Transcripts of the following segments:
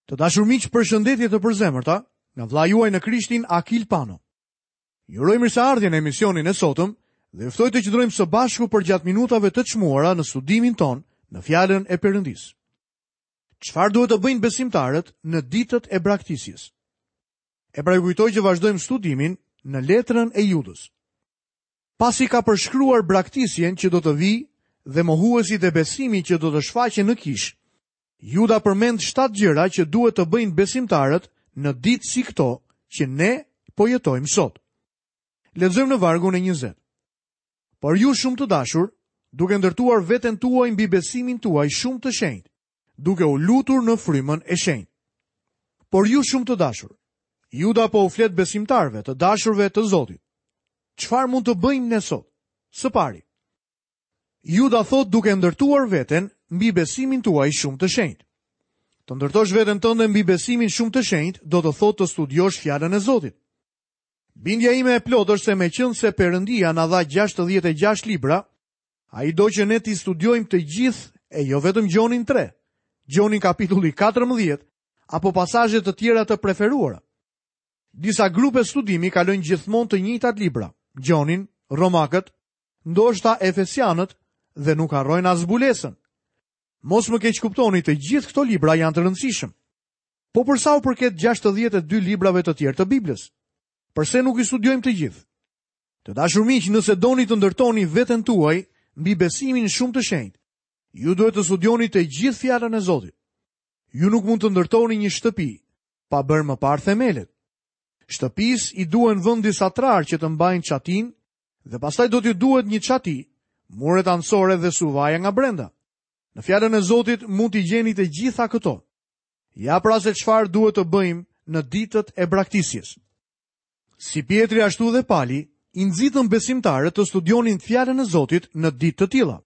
Të dashur miq, përshëndetje të përzemërta nga vëllai juaj në Krishtin Akil Pano. Ju uroj mirëseardhjen në emisionin e sotëm dhe ju ftoj të qëndrojmë së bashku përgjatë minutave të çmuara në studimin tonë në fjalën e Perëndisë. Çfarë duhet të bëjnë besimtarët në ditët e braktisjes? E pra ju kujtoj që vazhdojmë studimin në letrën e Judës. Pasi ka përshkruar braktisjen që do të vijë dhe mohuesit e besimit që do të shfaqen në kishë, Juda përmend shtatë gjëra që duhet të bëjnë besimtarët në ditë si këto që ne po jetojmë sot. Lexojmë në vargun e 20. Por ju shumë të dashur, duke ndërtuar veten tuaj mbi besimin tuaj shumë të shenjtë, duke u lutur në frymën e shenjtë. Por ju shumë të dashur, Juda po u flet besimtarëve, të dashurve të Zotit. Çfarë mund të bëjmë ne sot? Së pari, Juda thotë duke ndërtuar veten mbi besimin tuaj shumë të shenjtë. Të ndërtosh veten tënde mbi besimin shumë të shenjtë do të thotë të studiosh fjalën e Zotit. Bindja ime e plotë është se meqenëse Perëndia na dha 66 libra, ai do që ne t'i studiojmë të gjithë e jo vetëm Gjonin 3, Gjonin kapitulli 14 apo pasazhe të tjera të preferuara. Disa grupe studimi kalojnë gjithmonë të njëjtat libra, Gjonin, Romakët, ndoshta Efesianët dhe nuk harrojnë as Zbulesën. Mos më keqkuptoni, të gjithë këto libra janë të rëndësishëm. Po për sa u përket 62 librave të tjerë të Biblës, përse nuk i studiojmë të gjithë? Të dashur miq, nëse doni të ndërtoni veten tuaj mbi besimin shumë të shenjtë, ju duhet të studioni të gjithë fjalën e Zotit. Ju nuk mund të ndërtoni një shtëpi pa bërë më parë themelet. Shtëpisë i duhen vënë disa trarë që të mbajnë çatinë Dhe pastaj do t'ju duhet një çati, muret anësore dhe suvaja nga brenda. Në fjalën e Zotit mund t'i gjeni të gjitha këto. Ja pra se çfarë duhet të bëjmë në ditët e braktisjes. Si Pjetri ashtu dhe Pali i nxitën besimtarët të studionin fjalën e Zotit në ditë të tilla.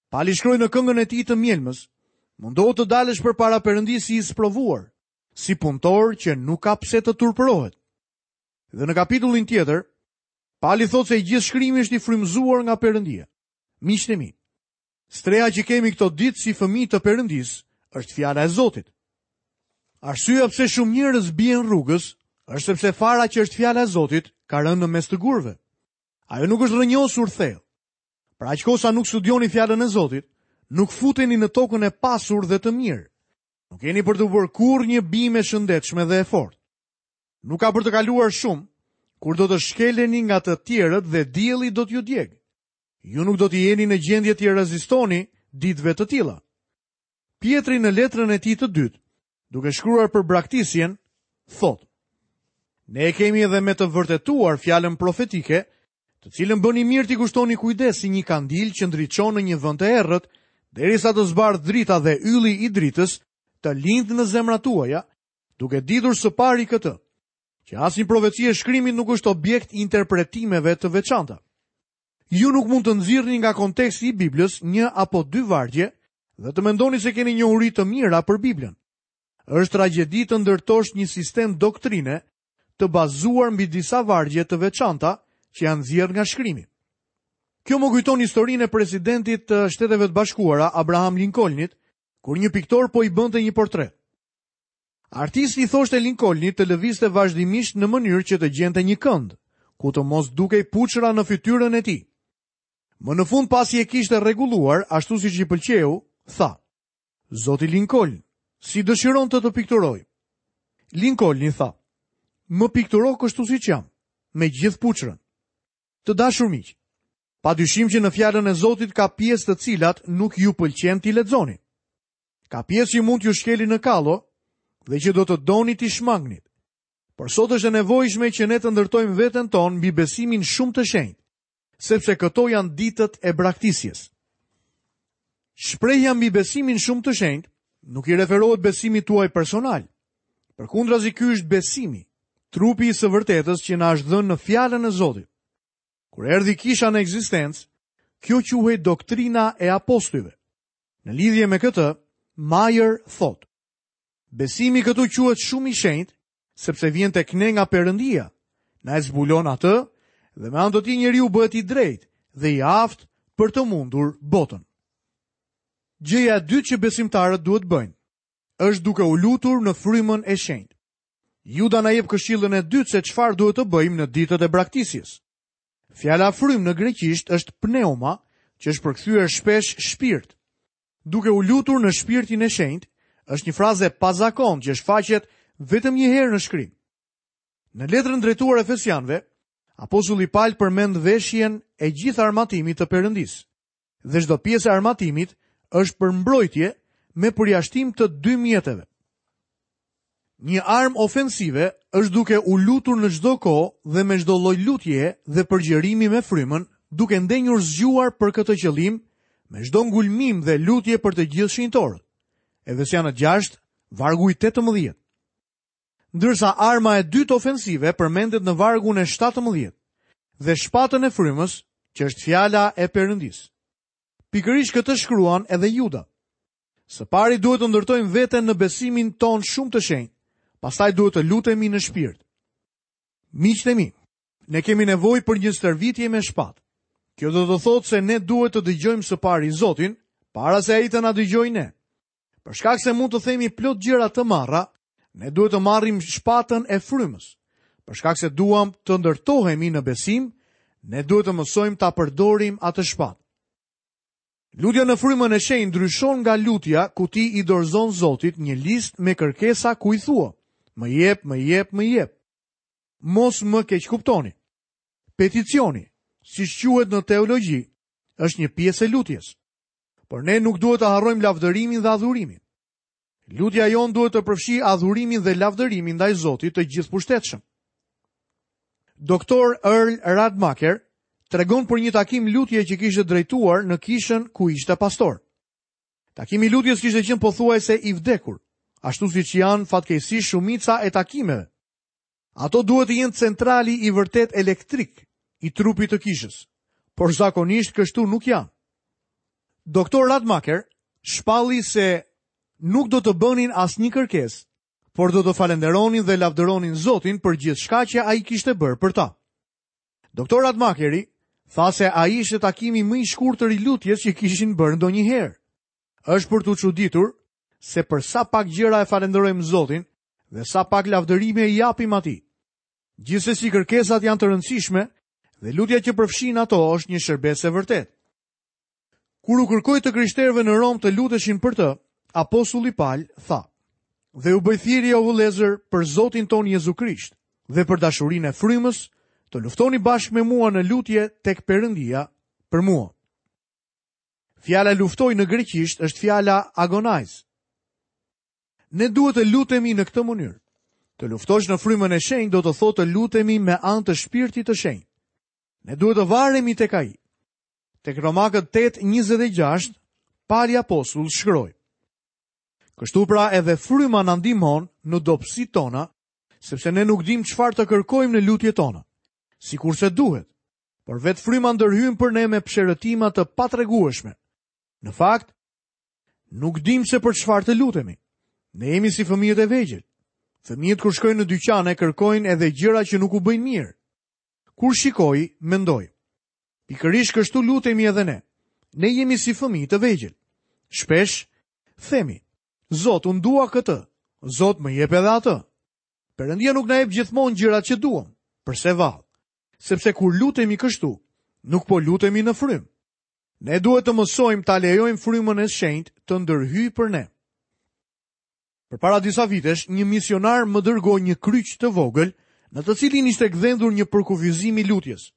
Pali shkroi në këngën e tij të mjelmës, mundohu të dalësh përpara Perëndisë si i sprovuar, si punëtor që nuk ka pse të turpërohet. Dhe në kapitullin tjetër, Pali thotë se i gjithë shkrimi është i frymëzuar nga Perëndia. Miqtë e mi, streha që kemi këto ditë si fëmijë të Perëndisë është fjala e Zotit. Arsyeja pse shumë njerëz bien rrugës është sepse fara që është fjala e Zotit ka rënë në mes të gurëve. Ajo nuk është rrënjosur thellë. Për aq kohë sa nuk studioni fjalën e Zotit, nuk futeni në tokën e pasur dhe të mirë. Nuk keni për t'u bërë kurrë një bimë e shëndetshme dhe e fortë. Nuk ka për të kaluar shumë, kur do të shkeleni nga të tjerët dhe dielli do t'ju djegë. Ju nuk do të jeni në gjendje t'i rezistoni ditëve të tilla. Pjetri në letrën e tij të dytë, duke shkruar për braktisjen, thotë: Ne e kemi edhe me të vërtetuar fjalën profetike, të cilën bëni mirë t'i kushtoni kujdes si një kandil që ndriçon në një vend të errët, derisa të zbardhë drita dhe ylli i dritës të lindë në zemrat tuaja, duke ditur së pari këtë, që asnjë profeci e shkrimit nuk është objekt i interpretimeve të veçanta. Ju nuk mund të nxirrni nga konteksti i Biblës një apo dy vargje dhe të mendoni se keni njohuri të mira për Biblën. Është tragjedi të ndërtosh një sistem doktrine të bazuar mbi disa vargje të veçanta që janë nxjerrë nga shkrimi. Kjo më kujton historinë e presidentit të Shteteve të Bashkuara, Abraham Lincolnit, kur një piktor po i bënte një portret. Artisti i thoshte Lincolnit të lëvizte vazhdimisht në mënyrë që të gjente një kënd, ku të mos dukej puçra në fytyrën e tij. Më në fund pasi e kishte rregulluar, ashtu siç i pëlqeu, tha: Zoti Lincoln, si dëshiron të të pikturoj? Lincolni tha: Më pikturo kështu siç jam, me gjithë puçrën. Të dashur miq, pa dyshim që në fjalën e Zotit ka pjesë të cilat nuk ju pëlqen t'i lexoni. Ka pjesë që mund t'ju shkelin në kallo dhe që do të doni t'i shmangnit. Por sot është e nevojshme që ne të ndërtojmë veten tonë mbi besimin shumë të shenjtë, sepse këto janë ditët e braktisjes. Shprehja mbi besimin shumë të shenjtë nuk i referohet besimit tuaj personal. Përkundrazi ky është besimi, trupi i së vërtetës që na është dhënë në fjalën e Zotit. Kur erdhi kisha në ekzistencë, kjo quhej doktrina e apostujve. Në lidhje me këtë, Majer thotë: Besimi këtu quhet shumë i shenjtë, sepse vjen tek ne nga Perëndia. Na e zbulon atë dhe me anë të tij njeriu bëhet i drejtë dhe i aftë për të mundur botën. Gjëja e dytë që besimtarët duhet të bëjnë, është duke u lutur në frymën e shenjtë. Juda na jep këshillën e dytë se çfarë duhet të bëjmë në ditët e braktisjes. Fjala frymë në greqisht është pneuma, që është përkthyer shpesh shpirt. Duke u lutur në shpirtin e shenjtë është një frazë e pazakontë që shfaqet vetëm një herë në shkrim. Në letrën drejtuar Efesianëve, apostulli Pal përmend veshjen e gjithë armatimit të Perëndisë. Dhe çdo pjesë e armatimit është për mbrojtje me përjashtim të dy mjeteve. Një armë ofensive është duke u lutur në çdo kohë dhe me çdo lloj lutjeje dhe përgjërimi me frymën, duke ndenjur zgjuar për këtë qëllim, me çdo ngulmim dhe lutje për të gjithë shenjtorët. Efesianët 6, vargu i 18. Ndërsa arma e dytë ofensive përmendet në vargun e 17 dhe shpatën e frymës, që është fjala e Perëndisë. Pikërisht këtë shkruan edhe Juda. Së pari duhet të ndërtojmë veten në besimin tonë shumë të shenjtë, pastaj duhet të lutemi në shpirt. Miqtë e mi, ne kemi nevojë për një stërvitje me shpatë. Kjo do të thotë se ne duhet të dëgjojmë së pari Zotin, para se ai të na dëgjojë ne. Për shkak se mund të themi plot gjëra të marra, ne duhet të marrim shpatën e frymës. Për shkak se duam të ndërtohemi në besim, ne duhet të mësojmë ta përdorim atë shpatë. Lutja në frymën e shenjtë ndryshon nga lutja ku ti i dorëzon Zotit një listë me kërkesa ku i thua, më jep, më jep, më jep. Mos më keqkuptoni. Peticioni, siç quhet në teologji, është një pjesë e lutjes. Por ne nuk duhet të harrojmë lavdërimin dhe adhurimin. Lutja jonë duhet të përfshijë adhurimin dhe lavdërimin ndaj Zotit të gjithëpushtetshëm. Doktor Earl Radmacher tregon për një takim lutje që kishte drejtuar në kishën ku ishte pastor. Takimi i lutjes kishte qenë pothuajse i vdekur, ashtu siç janë fatkeqësisht shumica e takimeve. Ato duhet të jenë centrali i vërtetë elektrik i trupit të kishës, por zakonisht kështu nuk janë. Doktor Radmacher shpalli se nuk do të bënin asnjë kërkesë, por do të falënderonin dhe lavdëronin Zotin për gjithçka që ai kishte bërë për ta. Doktor Radmacheri tha se ai ishte takimi më i shkurtër i lutjes që kishin bërë ndonjëherë. Është për t'u çuditur se për sa pak gjëra e falënderojmë Zotin dhe sa pak lavdërime i japim atij. Gjithsesi kërkesat janë të rëndësishme dhe lutja që përfshin ato është një shërbesë e vërtetë. Kur u kërkoi të krishterëve në Romë të luteshin për të, apostulli Pal tha: "Dhe ju bëj thirrje o vëllezër për Zotin tonë Jezu Krisht dhe për dashurinë e frymës, të luftoni bashkë me mua në lutje tek Perëndia për mua." Fjala luftoj në greqisht është fjala agonize. Ne duhet të lutemi në këtë mënyrë. Të luftosh në frymën e shenjtë do të thotë të lutemi me anë të shpirtit të shenjtë. Ne duhet të varemi tek ai. Tek Romakët 8:26, Pali apostull shkroi: Kështu pra edhe fryma na ndihmon në dobësitë tona, sepse ne nuk dimë çfarë të kërkojmë në lutjet tona, sikurse duhet. Por vetë fryma ndërhyn për ne me psherëtima të patregueshme. Në fakt, nuk dimë se për çfarë të lutemi. Ne jemi si fëmijët e vegjël. Fëmijët kur shkojnë në dyqane kërkojnë edhe gjëra që nuk u bëjnë mirë. Kur shikoj, mendoj. Pikërisht kështu lutemi edhe ne. Ne jemi si fëmijë të vegjël. Shpesh themi, Zot, unë dua këtë. Zot, më jep edhe atë. Perëndia nuk na jep gjithmonë gjërat që duam. Përse vallë? Sepse kur lutemi kështu, nuk po lutemi në frymë. Ne duhet të mësojmë ta lejojmë frymën e shenjtë të ndërhyjë për ne. Përpara disa vitesh, një misionar më dërgoi një kryq të vogël, në të cilin ishte gdhendur një përkufizim i lutjes.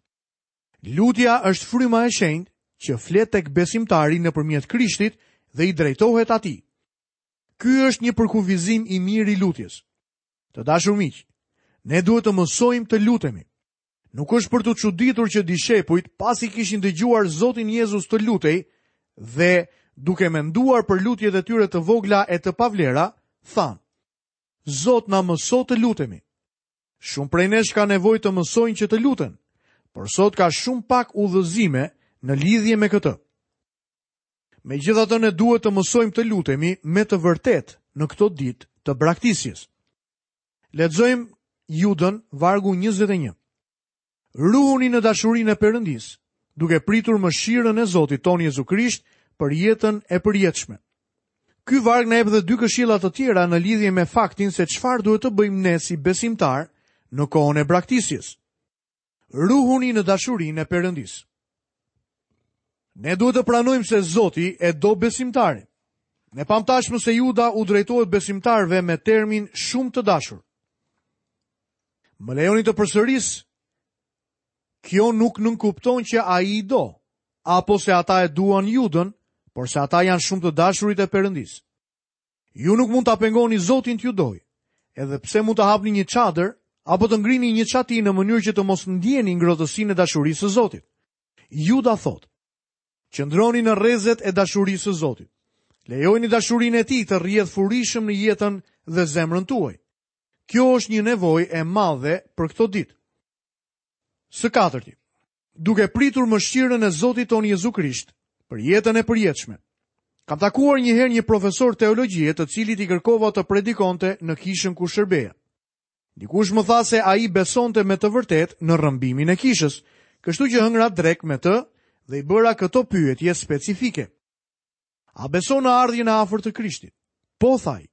Lutja është fryma e shenjtë që flet tek besimtari nëpërmjet Krishtit dhe i drejtohet atij. Ky është një përkufizim i mirë i lutjes. Të dashur miq, ne duhet të mësojmë të lutemi. Nuk është për t'u çuditur që dishepujt, pasi kishin dëgjuar Zotin Jezus të lutej dhe duke menduar për lutjet e tyre të vogla e të pavlera, thanë: Zot na mëso të lutemi. Shumë prej nesh kanë nevojë të mësojnë që të luten, por sot ka shumë pak udhëzime në lidhje me këtë. Megjithatë ne duhet të mësojmë të lutemi me të vërtetë në këto ditë të braktisjes. Lexojmë Judën, vargu 21. Ruhuni në dashurinë e Perëndisë, duke pritur mëshirën e Zotit tonë Jezu Krisht për jetën e përjetshme. Ky varg na jep dhe dy këshilla të tjera në lidhje me faktin se çfarë duhet të bëjmë ne si besimtarë në kohën e braktisjes. Ruhuni në dashurinë e Perëndisë. Ne duhet të pranojmë se Zoti e do besimtarin. Ne pamë tashmë se Juda u drejtohet besimtarëve me termin shumë të dashur. Më lejoni të përsëris, kjo nuk nënkupton që ai i do, apo se ata e duan Judën, por se ata janë shumë të dashurit e Perëndisë. Ju nuk mund ta pengoni Zotin t'ju dojë, edhe pse mund të hapni një çadër apo të ngrini një çati në mënyrë që të mos ndjeni ngrohtësinë e dashurisë së Zotit. Juda thotë: Qëndroni në rrezet e dashurisë së Zotit. Lejojeni dashurinë e tij të rrjedhë furishëm në jetën dhe zemrën tuaj. Kjo është një nevojë e madhe për këto ditë. Së katërti, duke pritur mëshirën e Zotit tonë Jezu Krisht për jetën e përjetshme. Kam takuar një herë një profesor teologjie të cilit i kërkova të predikonte në kishën ku shërbeja. Dikush më tha se ai besonte me të vërtetë në rrëmbimin e kishës, kështu që hëngra drekë me të dhe i bëra këto pyetje specifike. A beson në ardhjen e afërt të Krishtit? Po, tha ai.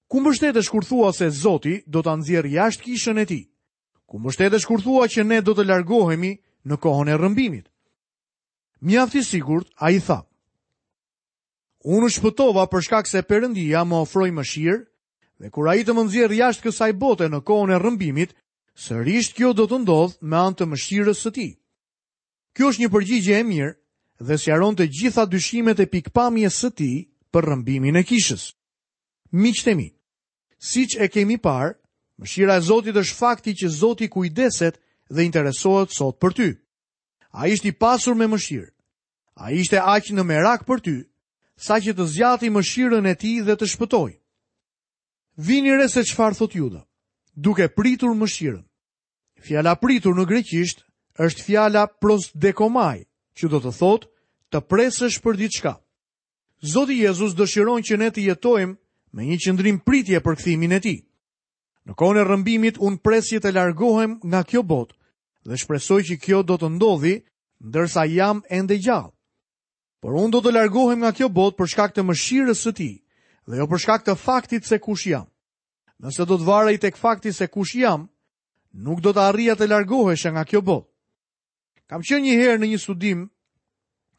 Ku mbështetesh kur thua se Zoti do ta nxjerrë jashtë kishën e tij? Ku mbështetesh kur thua që ne do të largohemi në kohën e rrëmbimit? Mjaft i sigurt, ai tha. Unë u shpëtova për shkak se Perëndia më ofroi mëshirë dhe kur ai të më nxjerrë jashtë kësaj bote në kohën e rrëmbimit, sërish kjo do të ndodhë me anë të mëshirës së tij. Kjo është një përgjigje e mirë dhe sqaron të gjitha dyshimet e pikëpamjes së tij për rrëmbimin e kishës. Miqtë e mi, siç e kemi parë, mëshira e Zotit është fakti që Zoti kujdeset dhe interesohet sot për ty. Ai është i pasur me mëshirë. Ai ishte aq në merak për ty, saqë të zgjati mëshirën e tij dhe të shpëtoi. Vini re se çfarë thotë Juda, duke pritur mëshirën. Fjala pritur në greqisht është fjala prosdekomai, që do të thotë të presësh për diçka. Zoti Jezus dëshiron që ne të jetojmë me një qëndrim pritje për kthimin e tij. Në kohën e rrëmbimit unë pres që të largohem nga kjo botë dhe shpresoj që kjo do të ndodhi ndërsa jam ende gjallë. Por unë do të largohem nga kjo botë për shkak të mëshirës së tij dhe jo për shkak të faktit se kush jam. Nëse do të varej tek fakti se kush jam, nuk do të arrija të largohesha nga kjo botë. Kam qenë një herë në një studim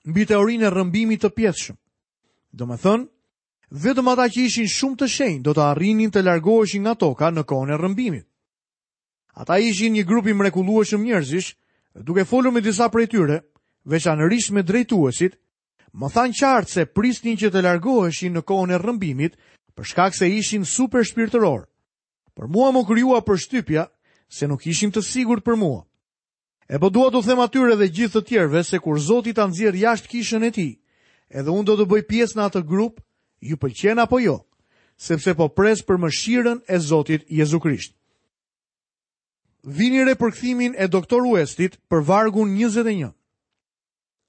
mbi teorinë e rrëmbimit të pjesshëm. Domethënë, vetëm ata që ishin shumë të shenjtë do të arrinin të largoheshin nga toka në kohën e rrëmbimit. Ata ishin një grup i mrekullueshëm njerëzish, dhe duke folur me disa prej tyre, veçanërisht me drejtuesit, më thanë qartë se prisnin që të largoheshin në kohën e rrëmbimit, për shkak se ishin super shpirtërorë. Por mua m'u krijua përshtypja se nuk ishin të sigurt për mua. E po dua t'u them atyre dhe gjithë të tjerëve se kur Zoti ta nxjerrë jashtë kishën e tij, edhe unë do të bëj pjesë në atë grup, ju pëlqen apo jo, sepse po pres për mëshirën e Zotit Jezu Krisht. Vini re përkthimin e Doktor Uestit për vargun 21.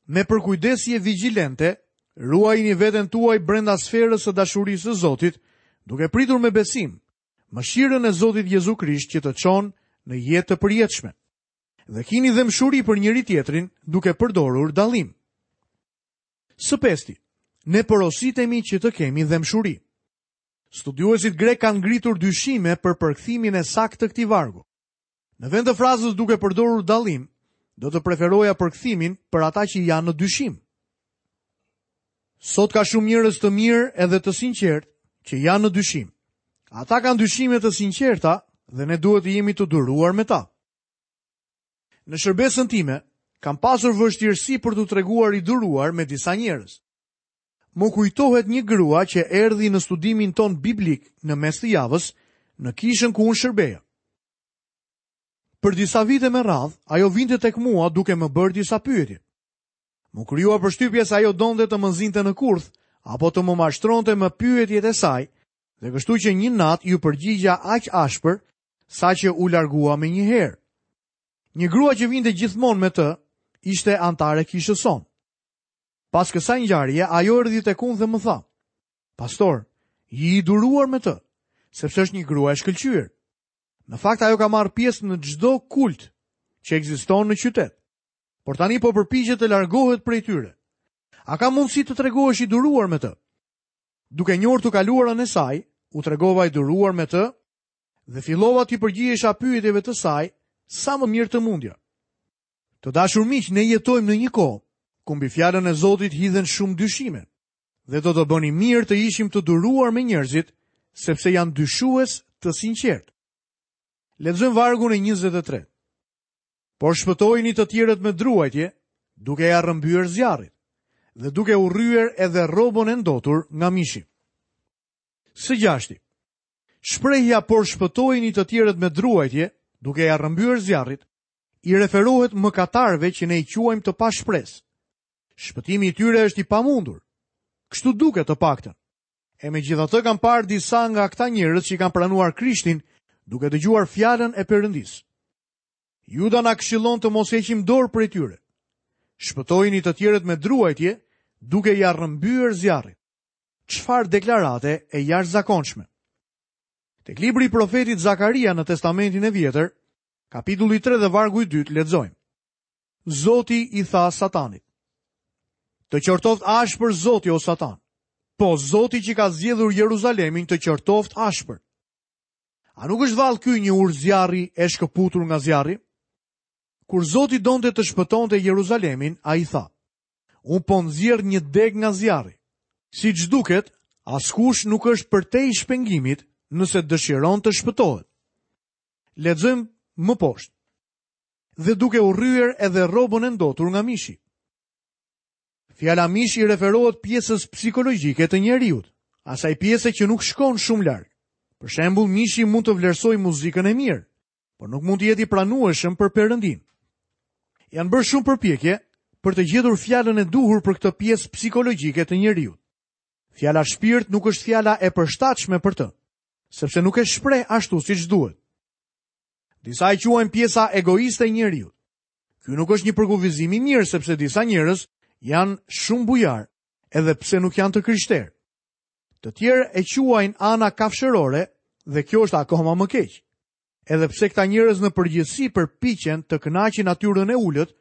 Me përkujdesje vigjilente, ruajini veten tuaj brenda sferës së dashurisë së Zotit, duke pritur me besim mëshirën e Zotit Jezu Krisht që të çon në jetë të përjetshme. Dhe kini dhembshuri për njëri-tjetrin duke përdorur dallim. Së pesti, ne porositemi që të kemi dhembshuri. Studiuesit grekë kanë ngritur dyshime për përkthimin e saktë të këtij vargu. Në vend të frazës duke përdorur dallim, do të preferoja përkthimin për ata që janë në dyshim. Sot ka shumë njerëz të mirë edhe të sinqertë që janë në dyshim. Ata kanë dyshime të sinqerta dhe ne duhet të jemi të duruar me ta. Në shërbesën time, kam pasur vështirësi për t'u treguar i duruar me disa njerëz. Më kujtohet një grua që erdhi në studimin tonë biblik në mes të javës në kishën ku unë shërbeja. Për disa vite me radhë, ajo vinte tek mua duke më bërë disa pyetje. M'u krijua përshtypja se ajo donte të më zinte në kurth apo të më mashtronte me pyetjet e saj, dhe kështu që një natë iu përgjigja aq ashpër saqë u largua menjëherë. Një grua që vinte gjithmonë me të ishte anëtare e kishës sonë. Pas kësaj ngjarje, ajo erdhi tek unë dhe më tha: "Pastor, ji i duruar me të, sepse është një grua e shkëlqyer. Në fakt ajo ka marrë pjesë në çdo kult që ekziston në qytet. Por tani po përpiqet të largohet prej tyre. A ka mundësi të tregohesh i duruar me të? Duke njohur të kaluarën e saj, u tregova i duruar me të dhe fillova t'i përgjigjesha pyetjeve të saj sa më mirë të mundja. Të dashur miq, ne jetojmë në një kohë ku mbi fjalën e Zotit hidhen shumë dyshime dhe do të bënim mirë të ishim të duruar me njerëzit, sepse janë dyshues të sinqertë. Lexojmë vargun e 23. Por shpëtojini të tjerët me druajtje, duke ia rrëmbyer zjarrit dhe duke urryer edhe rrobën e ndotur nga mishi. Së gjashti, shprehja por shpëtojini të tjerët me druajtje, duke ia rrëmbyer zjarrit, i referohet mëkatarëve që ne i quajmë të pashpresë. Shpëtimi i tyre është i pamundur. Kështu duket të paktën. E megjithatë kam parë disa nga këta njerëz që kanë pranuar Krishtin duke dëgjuar fjalën e Perëndisë. Juda na këshillon të mos heqim dorë prej tyre. Shpëtojini të tjerët me druajtje, duke ia rrëmbyer zjarrit. Çfarë deklarate e jashtëzakonshme. Tek libri i profetit Zakaria në Testamentin e Vjetër, kapitulli 3 dhe vargu i 2 lexojmë. Zoti i tha Satanit: Të qortoftë ashpër Zoti o Satan. Po Zoti që ka zgjedhur Jeruzalemin të qortoftë ashpër. A nuk është vallë ky një urë zjarri e shkëputur nga zjarri? Kur Zoti donte të shpëtonte Jeruzalemin, ai tha: Unë po nxjerr një degë nga zjarri. Siç duket, askush nuk është përtej shpengimit nëse dëshiron të shpëtohet. Lexojmë më poshtë. Dhe duke urryer edhe rrobën e ndotur nga mishi. Fjala mish i referohet pjesës psikologjike të njeriut, asaj pjese që nuk shkon shumë larg. Për shembull, mishi mund të vlerësojë muzikën e mirë, por nuk mund të jetë i pranueshëm për Perëndinë. Janë bërë shumë përpjekje për të gjetur fjalën e duhur për këtë pjesë psikologjike të njeriut. Fjala shpirt nuk është fjala e përshtatshme për të, sepse nuk e shpreh ashtu siç duhet. Disa e quajnë pjesa egoiste e njeriut. Ky nuk është një përkufizim i mirë sepse disa njerëz janë shumë bujarë, edhe pse nuk janë të krishterë. Të tjerë e quajnë ana kafshërore dhe kjo është akoma më keq. Edhe pse këta njerëz në përgjithësi përpiqen të kënaqin natyrën e ulët,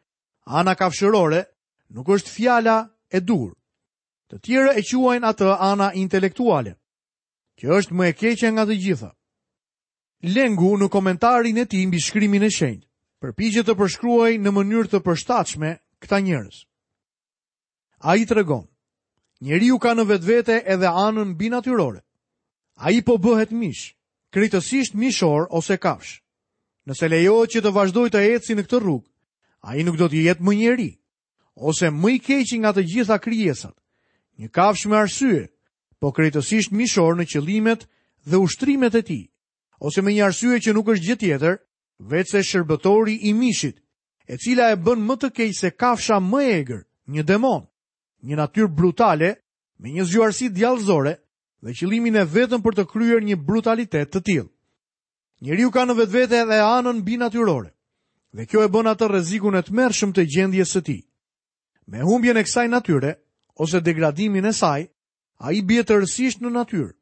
ana kafshërore nuk është fjala e duhur. Të tjerë e quajnë atë ana intelektuale, që është më e keqja nga të gjitha. Lengu në komentarin e tij mbi shkrimin e shenjtë, përpiqet të përshkruajë në mënyrë të përshtatshme këta njerëz. Ai tregon, njeriu ka në vetvete edhe anën mbinatyrore. Ai po bëhet mish, krejtësisht mishor ose kafshë. Nëse lejohet që të vazhdojë të ecë në këtë rrugë, ai nuk do të jetë më njeri, ose më i keqi nga të gjitha krijesat, një kafshë me arsye, po krejtësisht mishor në qëllimet dhe ushtrimet e tij, ose me një arsye që nuk është gjë tjetër, veçse shërbëtori i mishit, e cila e bën më të keq se kafsha më e egër, një demon, një natyrë brutale, me një zgjuarsi djallëzore dhe qëllimin e vetëm për të kryer një brutalitet të tillë. Njeriu ka në vetvete edhe anën mbinatyrore, dhe kjo e bën atë rrezikun e tmerrshëm të gjendjes së tij. Me humbjen e kësaj natyre, ose degradimin e saj, ai bie tërësisht në natyrë,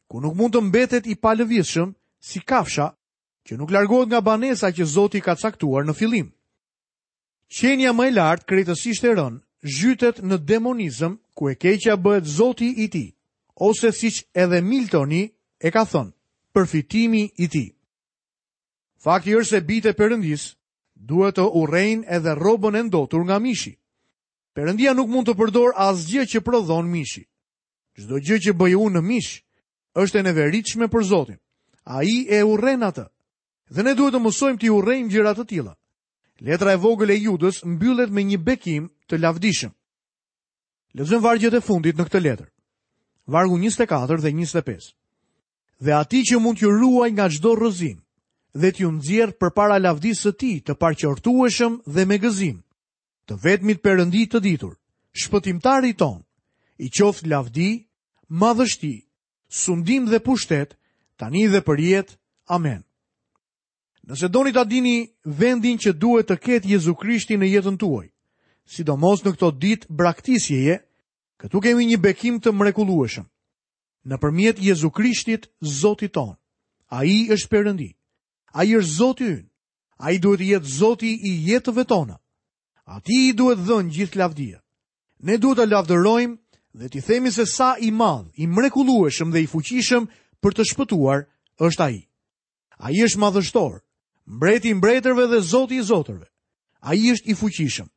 ku nuk mund të mbetet i palëvizshëm si kafsha që nuk largohet nga banesa që Zoti ka caktuar në fillim. Qenia më e lartë krejtësisht e rënë, zhytet në demonizëm ku e keqja bëhet zoti i tij, ose siç edhe Miltoni e ka thënë, përfitimi i tij. Fakti është se bijtë e Perëndisë duhet të urrejnë edhe rrobën e ndotur nga mishi. Perëndia nuk mund të përdorë asgjë që prodhon mishi. Çdo gjë që bëj unë në mish është e neveritshme për Zotin. Ai e urren atë. Dhe ne duhet të mësojmë t'i urrejmë gjëra të tilla. Letra e vogël e Judës mbyllet me një bekim të lavdishëm. Lexojmë vargjet e fundit në këtë letër. Vargu 24 dhe 25. Dhe atij që mund t'ju ruajë nga çdo rrëzim dhe t'ju nxjerrë përpara lavdisë së tij të paqortueshëm dhe me gëzim, të vetmit Perëndi të ditur, shpëtimtarit tonë, i qoftë lavdi, madhështi, sundim dhe pushtet, tani dhe përjetë. Amen. Nëse doni ta dini vendin që duhet të ketë Jezu Krishti në jetën tuaj, sidomos në këto ditë braktisjeje, këtu kemi një bekim të mrekullueshëm. Nëpërmjet Jezu Krishtit, Zotit tonë. Ai është Perëndi. Ai është Zoti ynë. Ai duhet të jetë Zoti i jetëve tona. Atij i duhet dhënë gjithë lavdia. Ne duhet ta lavdërojmë dhe t'i themi se sa i madh, i mrekullueshëm dhe i fuqishëm për të shpëtuar është ai. Ai është madhështor, mbreti i mbretërve dhe zoti i zotërve. Ai është i fuqishëm.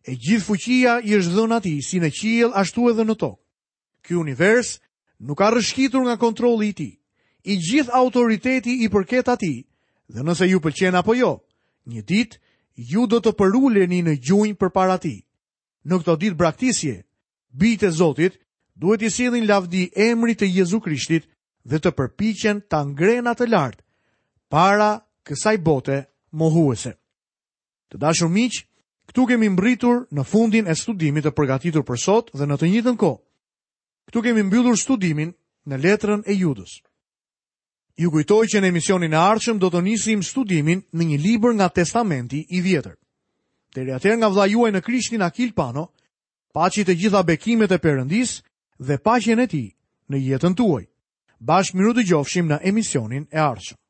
E gjithë fuqia i është dhënë atij si në qiell ashtu edhe në tokë. Ky univers nuk ka rrëshqitur nga kontrolli i tij. I gjithë autoriteti i përket atij dhe nëse ju pëlqen apo jo, një ditë ju do të përuleni në gjunjë përpara tij. Në këto ditë braktisje, bijtë e Zotit duhet t'i sjellin lavdi emrit të Jezu Krishtit dhe të përpiqen ta ngrenë atë lart para kësaj bote mohuese. Të dashur miq, këtu kemi mbërritur në fundin e studimit të përgatitur për sot dhe në të njëjtën kohë. Këtu kemi mbyllur studimin në letrën e Judës. Ju kujtoj që në emisionin e ardhshëm do të nisim studimin në një libër nga Testamenti i Vjetër. Deri atëherë nga vëllai juaj në Krishtin Akil Pano, paçi të gjitha bekimet e Perëndisë dhe paqen e tij në jetën tuaj. Bashkë mirudëgjofshim në emisionin e ardhshëm.